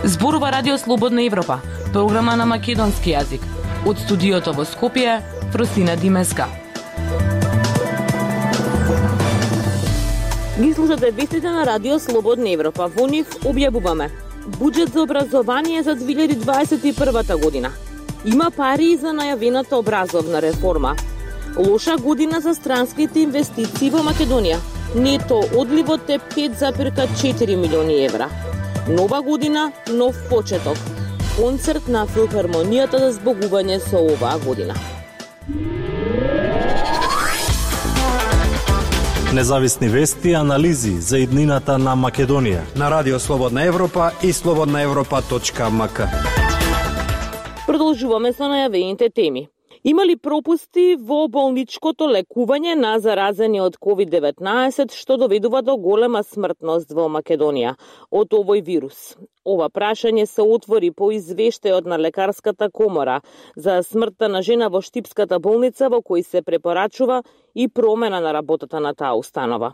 Зборува Радио Слободна Европа, програма на македонски јазик. Од студиото во Скопје, Фросина Димеска. Ги слушате вестите на Радио Слободна Европа. Во нив објавуваме буџет за образование за 2021 година. Има пари за најавената образовна реформа. Лоша година за странските инвестиции во Македонија. Нето одливот е 5,4 милиони евра. Нова година, нов почеток. Концерт на Филхармонијата за збогување со оваа година. Независни вести и анализи за иднината на Македонија на Радио Слободна Европа и slobodnaevropa.mk. Продолжуваме со најавените теми. Има ли пропусти во болничкото лекување на заразени од COVID-19, што доведува до голема смртност во Македонија од овој вирус? Ова прашање се отвори по извештајот на Лекарската комора за смртта на жена во Штипската болница, во кој се препорачува и промена на работата на таа установа.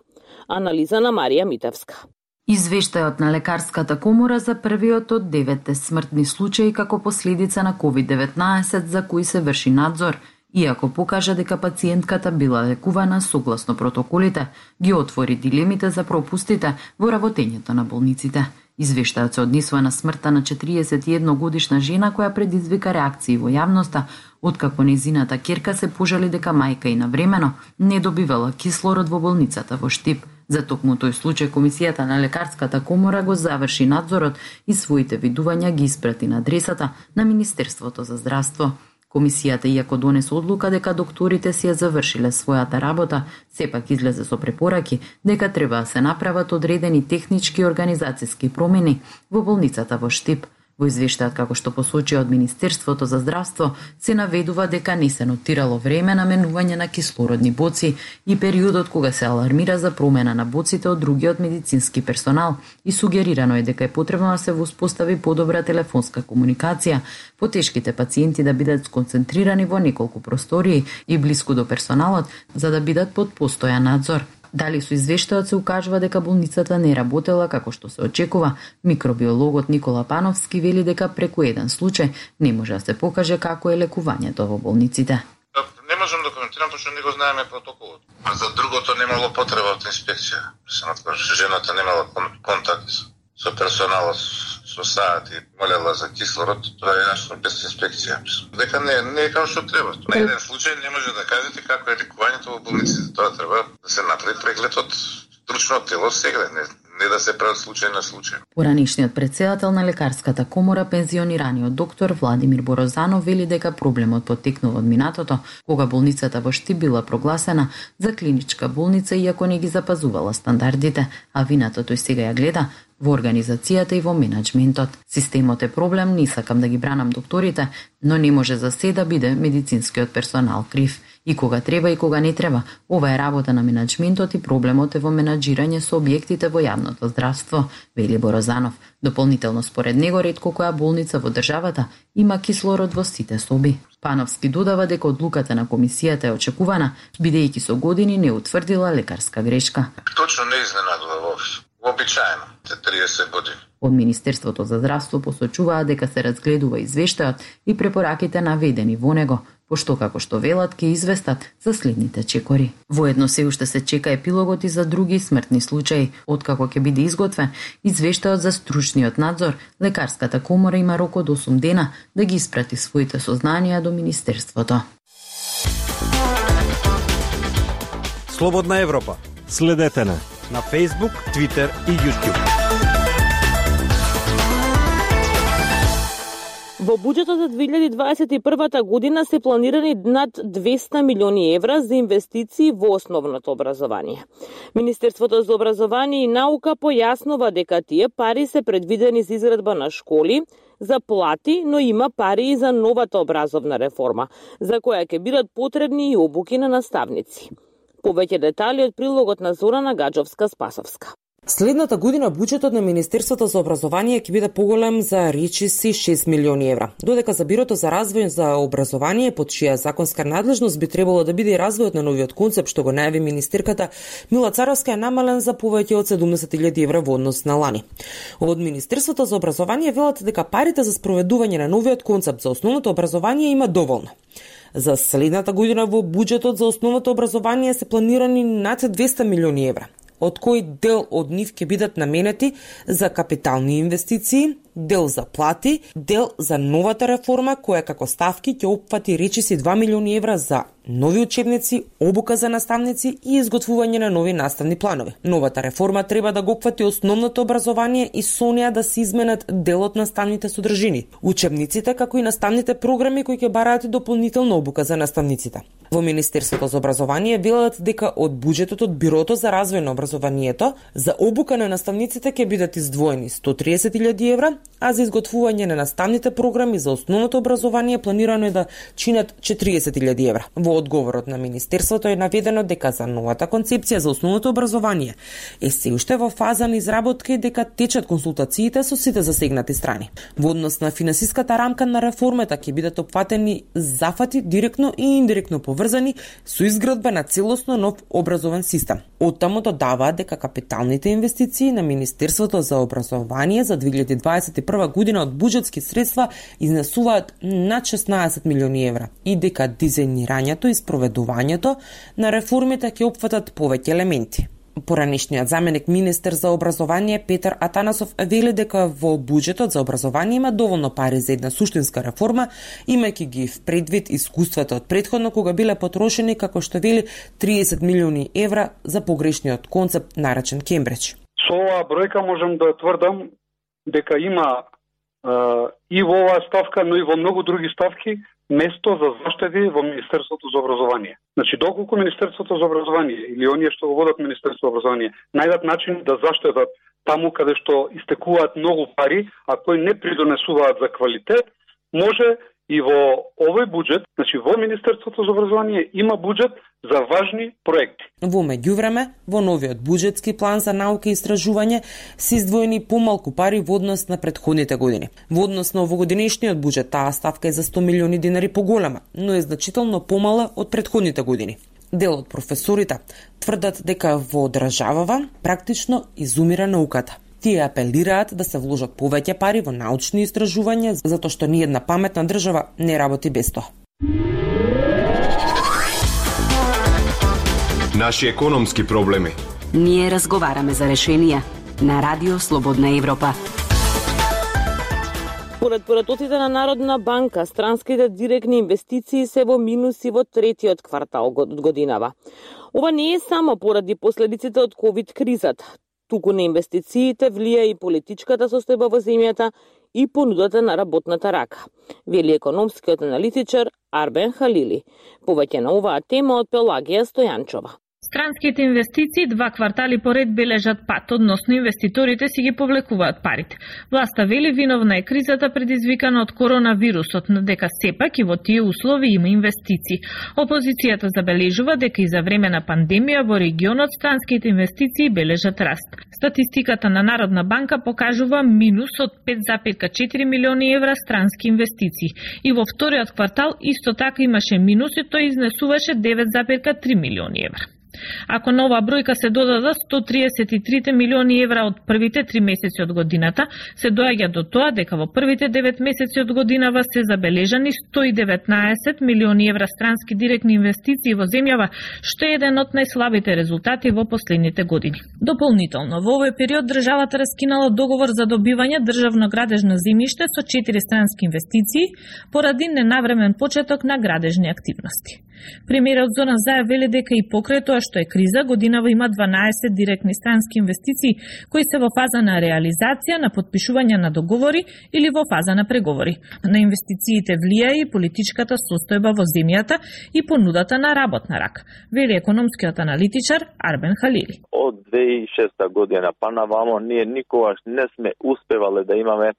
Анализа на Марија Митевска. Извештајот на Лекарската комора за првиот од 9 смртни случаи како последица на COVID-19 за кои се врши надзор, иако покажа дека пациентката била лекувана согласно протоколите, ги отвори дилемите за пропустите во работењето на болниците. Извештајот се однесува на смртта на 41 годишна жена која предизвика реакции во јавноста, откако незината ќерка се пожали дека мајка и навремено не добивала кислород во болницата во Штип. За токму тој случај Комисијата на Лекарската комора го заврши надзорот и своите видувања ги испрати на адресата на Министерството за здравство. Комисијата, иако донесе одлука дека докторите си ја завршиле својата работа, сепак излезе со препораки дека треба да се направат одредени технички и организацијски промени во болницата во Штип. Во извештајот, како што посочи од Министерството за здравство, се наведува дека не се нотирало време на менување на кислородни боци и периодот кога се алармира за промена на боците од другиот медицински персонал и сугерирано е дека е потребно да се воспостави подобра телефонска комуникација, потешките пациенти да бидат сконцентрирани во неколку простории и блиску до персоналот за да бидат под постојан надзор. Дали со извештајот се укажува дека болницата не работела како што се очекува, микробиологот Никола Пановски вели дека преку еден случај не може да се покаже како е лекувањето во болниците. Не можам да коментирам, пошто не го знаеме протоколот. А за другото немало потреба од инспекција. Жената немала контакт со персоналот со саат и молела за кислород, тоа е јасно без инспекција. Дека не е како што треба. На еден случај не може да кажете како е лекувањето во болниците. Тоа треба да се направи преглед од стручно тело сега, не да се прават случај на случај. Поранишниот претседател на Лекарската комора, пензионираниот доктор Владимир Борозанов, вели дека проблемот потекнува од минатото, кога болницата во Штип била прогласена за клиничка болница иако не ги запазувала стандардите, а вината тој сега ја гледа во организацијата и во менеджментот. Системот е проблем, не сакам да ги бранам докторите, но не може за се да биде медицинскиот персонал крив. И кога треба и кога не треба, ова е работа на менеджментот и проблемот е во менаџирање со објектите во јавното здравство, вели Борозанов. Дополнително според него ретко која болница во државата има кислород во сите соби. Пановски додава дека одлуката на комисијата е очекувана, бидејќи со години не утврдила лекарска грешка. Точно не изненадува воопшто. Обичаено, 30 години. Од Министерството за здравство посочуваа дека се разгледува извештајот и препораките наведени во него, пошто како што велат ќе известат за следните чекори. Воедно се уште се чека епилогот и за други смртни случаи. Откако ќе биде изготвен извештајот за стручниот надзор, Лекарската комора има рок од 8 дена да ги испрати своите сознанија до Министерството. Слободна Европа. Следете на Facebook, Twitter и YouTube. Во буџетот за 2021 година се планирани над 200 милиони евра за инвестиции во основното образование. Министерството за образование и наука појаснува дека тие пари се предвидени за изградба на школи, за плати, но има пари и за новата образовна реформа, за која ќе бидат потребни и обуки на наставници. Повеќе детали од прилогот на Зорана Гаджовска-Спасовска. Следната година буџетот на Министерството за образование ќе биде поголем за речиси 6 милиони евра. Додека за Бирото за развој за образование, под чија законска надлежност би требало да биде и развојот на новиот концепт што го најави министерката Мила Царовска, е намален за повеќе од 70.000 евра во однос на лани. Од Министерството за образование велат дека парите за спроведување на новиот концепт за основното образование има доволно. За следната година во буџетот за основното образование се планирани над 200 милиони евра, од кои дел од нив ќе бидат наменети за капитални инвестиции, дел за плати, дел за новата реформа која како ставки ќе опфати речиси 2 милиони евра за нови учебници, обука за наставници и изготвување на нови наставни планови. Новата реформа треба да го опфати основното образование и со неа да се изменат дел од наставните содржини, учебниците како и наставните програми кои ќе бараат и дополнителна обука за наставниците. Во Министерството за образование велат дека од буџетот од Бирото за развој на образованието за обука на наставниците ќе бидат издвоени 130.000 евра, а за изготвување на наставните програми за основното образование планирано е да чинат 40.000 евра. Во одговорот на Министерството е наведено дека за новата концепција за основното образование е се уште во фаза на изработка и дека течат консултациите со сите засегнати страни. Во однос на финансиската рамка на реформата ќе бидат опфатени зафати директно и индиректно поврзани со изградба на целосно нов образовен систем. Оттаму додаваат дека капиталните инвестиции на Министерството за образование за 2021 година од буџетски средства изнесуваат над 16 милиони евра и дека дизајнирањето и спроведувањето на реформите ќе опфатат повеќе елементи. Поранешниот заменик министер за образование Петар Атанасов вели дека во буџетот за образование има доволно пари за една суштинска реформа, имајќи ги в предвид искуствата од претходно кога биле потрошени, како што вели, 30 милиони евра за погрешниот концепт наречен Кембридж. Со оваа бројка можам да тврдам дека има и во оваа ставка, но и во многу други ставки место за заштеди во Министерството за образование. Значи, доколку Министерството за образование или оние што го водат Министерството за образование најдат начин да заштедат таму каде што истекуваат многу пари, а кои не придонесуваат за квалитет, може и во овој буџет, значи во Министерството за образование има буџет за важни проекти. Во меѓувреме, во новиот буџетски план за наука и истражување се издвоени помалку пари во однос на претходните години. Во однос на овогодинешниот буџет, таа ставка е за 100 милиони динари поголема, но е значително помала од претходните години. Дел од професорите тврдат дека во државава практично изумира науката. Тие апелираат да се вложат повеќе пари во научни истражувања, затоа што ни една паметна држава не работи без тоа. Наши економски проблеми. Ние разговараме за решенија на Радио Слободна Европа. Според поратоците на Народна банка, странските директни инвестиции се во минуси во третиот квартал од годинава. Ова не е само поради последиците од ковид кризата. Туку на инвестициите влија и политичката состојба во земјата и понудата на работната рака, вели економскиот аналитичар Арбен Халили. Повеќе на оваа тема од Пелагија Стојанчова. Странските инвестиции 2 квартали поред бележат пат, односно инвеститорите си ги повлекуваат парите. Власта вели виновна е кризата предизвикана од коронавирусот, но дека сепак и во тие услови има инвестиции. Опозицијата забележува дека и за време на пандемија во регионот странските инвестиции бележат раст. Статистиката на Народна банка покажува минус од 5,4 милиони евра странски инвестиции. И во вториот квартал исто така имаше минус и тој изнесуваше 9,3 милиони евра. Ако на оваа бројка се додадат 133 милиони евра од првите 3 месеци од годината, се доаѓа до тоа дека во првите 9 месеци од годинава се забележани 119 милиони евра странски директни инвестиции во земјава, што е еден од најслабите резултати во последните години. Дополнително, во овој период државата раскинала договор за добивање државно градежно земјиште со 4 странски инвестиции поради ненавремен почеток на градежни активности. Премиерот Зоран Заев вели дека и покрај тоа што е криза, годинава има 12 директни странски инвестиции кои се во фаза на реализација, на подпишување на договори или во фаза на преговори. На инвестициите влија и политичката состојба во земјата и понудата на работна рака, вели економскиот аналитичар Арбен Халили. Од 2006 година па навамо ние никогаш не сме успевале да имаме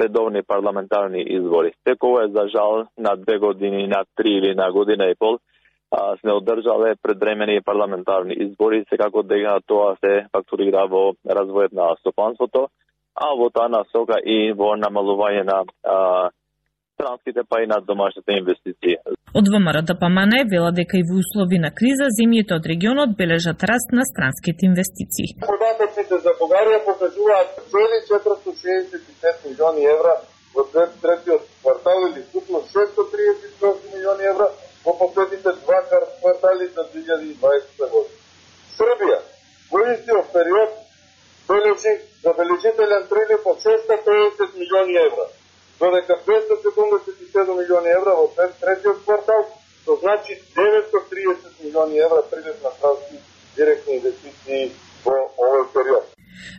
редовни парламентарни избори. Секој е за жал на 2 години, на 3 или на година и пол сме одржале предвремени парламентарни избори, секако дека тоа се фактурира во развојот на стопанството, а во таа насока и во намалување на странските па и на домашните инвестиции. Од ВМРО ДПМН велат дека и во услови на криза земјите од регионот бележат раст на странските инвестиции. Податоците за Бугарија покажуваат цели 465 милиони евра во третиот квартал или вкупно 638 милиони евра во последните два квартали за 2020 година. Србија во истиот период бележи забележителен прилив од 650 милиони евра, додека 277 милиони евра во третиот квартал, што значи 930 милиони евра прилив на странски директни инвестиции во овој период.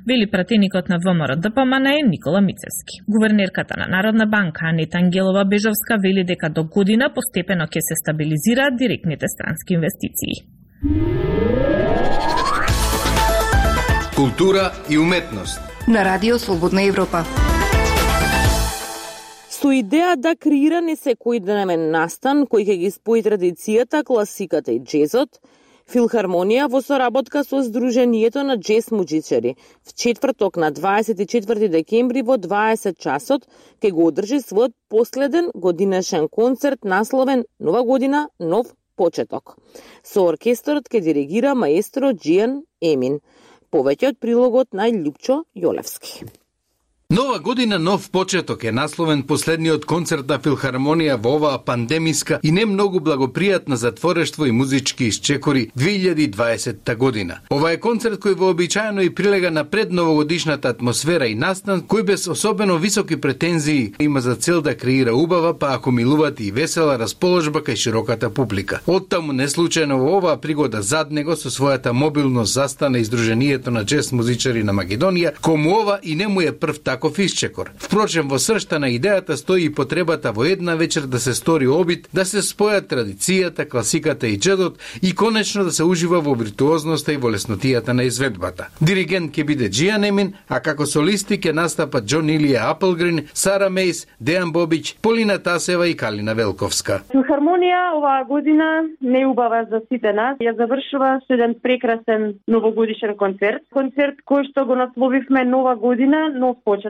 Вели пратеникот на ВМРО ДПМН Никола Мицевски. Гувернерката на Народна банка Анета Ангелова-Бежовска вели дека до година постепено ќе се стабилизираат директните странски инвестиции. Култура и уметност на Радио Слободна Европа. Со идеја да креира не секојдневен настан кој ќе ги спои традицијата, класиката и джезот, Филхармонија во соработка со Сдруженијето на джез музичари в четврток на 24 декември во 20 часот ќе го одржи својот последен годинешен концерт насловен Нова година, нов почеток. Со оркестрот ќе диригира маестро Джијан Емин. Повеќе од прилогот на Љупчо Јолевски. Нова година, нов почеток е насловен последниот концерт на Филхармонија во оваа пандемиска и не многу благопријатна за творештво и музички исчекори 2020 година. Ова е концерт кој вообичаено и прилега на предновогодишната атмосфера и настан, кој без особено високи претензии има за цел да креира убава, па ако милувате и весела расположба кај широката публика. Оттаму неслучајно во оваа пригода зад него со својата мобилност застана и Сдруженијето на джез музичари на Македонија, кому ова и не му е прв таков исчекор. Впрочем, во сршта на идејата стои и потребата во една вечер да се стори обид, да се спојат традицијата, класиката и джедот и конечно да се ужива во виртуозноста и во леснотијата на изведбата. Диригент ќе биде Джијан Емин, а како солисти ќе настапат Џон Илија Аплгрин, Сара Мејс, Дејан Бобич, Полина Тасева и Калина Велковска. Филхармонија оваа година не убава за сите нас. Ја завршува со еден прекрасен новогодишен концерт. Концерт кој што го насловивме Нова година, нов почеток.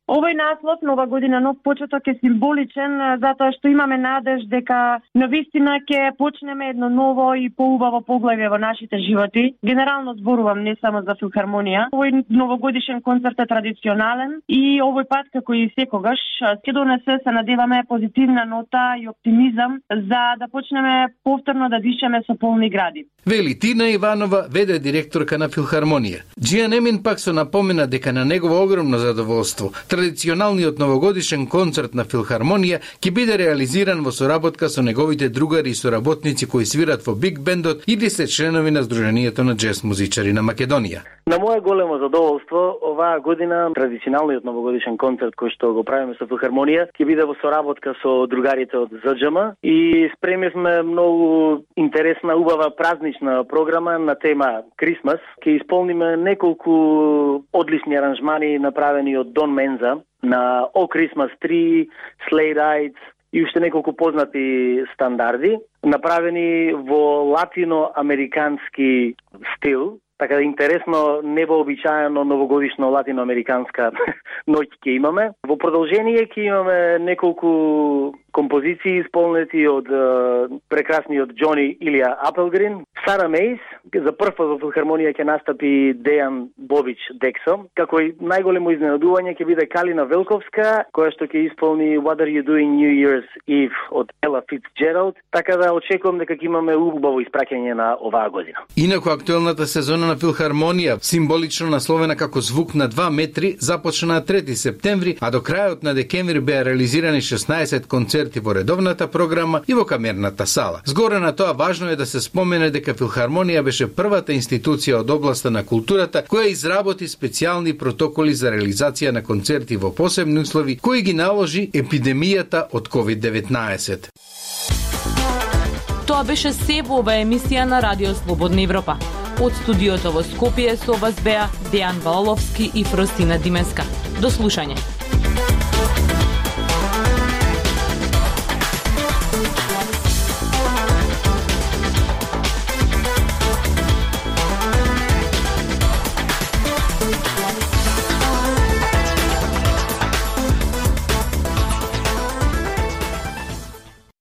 Овој наслов Нова година, нов почеток е символичен затоа што имаме надеж дека навистина ќе почнеме едно ново и поубаво поглавје во нашите животи. Генерално зборувам не само за Филхармонија. Овој новогодишен концерт е традиционален и овој пат како и секогаш ќе донесе, се надеваме, позитивна нота и оптимизам за да почнеме повторно да дишеме со полни гради. Вели Тина Иванова, ВД директорка на Филхармонија. Джијан Емин пак со напомена дека на негово огромно задоволство традиционалниот новогодишен концерт на Филхармонија ќе биде реализиран во соработка со неговите другари и соработници кои свират во биг бендот или се членови на Сдруженијето на джез музичари на Македонија. На мое големо задоволство, оваа година традиционалниот новогодишен концерт кој што го правиме со Филхармонија ќе биде во соработка со другарите од ЗДЖМ и спремивме многу интересна, убава празнична програма на тема Крисмас. Ќе исполниме неколку одлични аранжмани направени од Дон Менза на О Christmas Tree, Sleigh Rides и уште неколку познати стандарди, направени во латиноамерикански стил. Така да интересно, невообичаено новогодишно латиноамериканска ноќ ќе имаме. Во продолжение ќе имаме неколку композиции исполнети од прекрасниот Џони Илија Аплгрин, Сара Мејс, за прв пат во Филхармонија ќе настапи Дејан Бобич Дексо, како и најголемо изненадување ќе биде Калина Велковска, која што ќе исполни What Are You Doing New Year's Eve од Ела Фицџералд, така да очекувам дека ќе имаме убаво испраќање на оваа година. Инаку актуелната сезона на Филхармонија, символично насловена како Звук на 2 метри, започна на 3 септември, а до крајот на декември беа реализирани 16 концерти во редовната програма и во камерната сала. Згоре на тоа важно е да се спомене дека Филхармонија беше првата институција од областа на културата која изработи специјални протоколи за реализација на концерти во посебни услови кои ги наложи епидемијата од COVID-19. Тоа беше се во оваа емисија на Радио Слободна Европа. Од студиото во Скопје со вас беа Дејан Балаловски и Фростина Димеска. До слушање.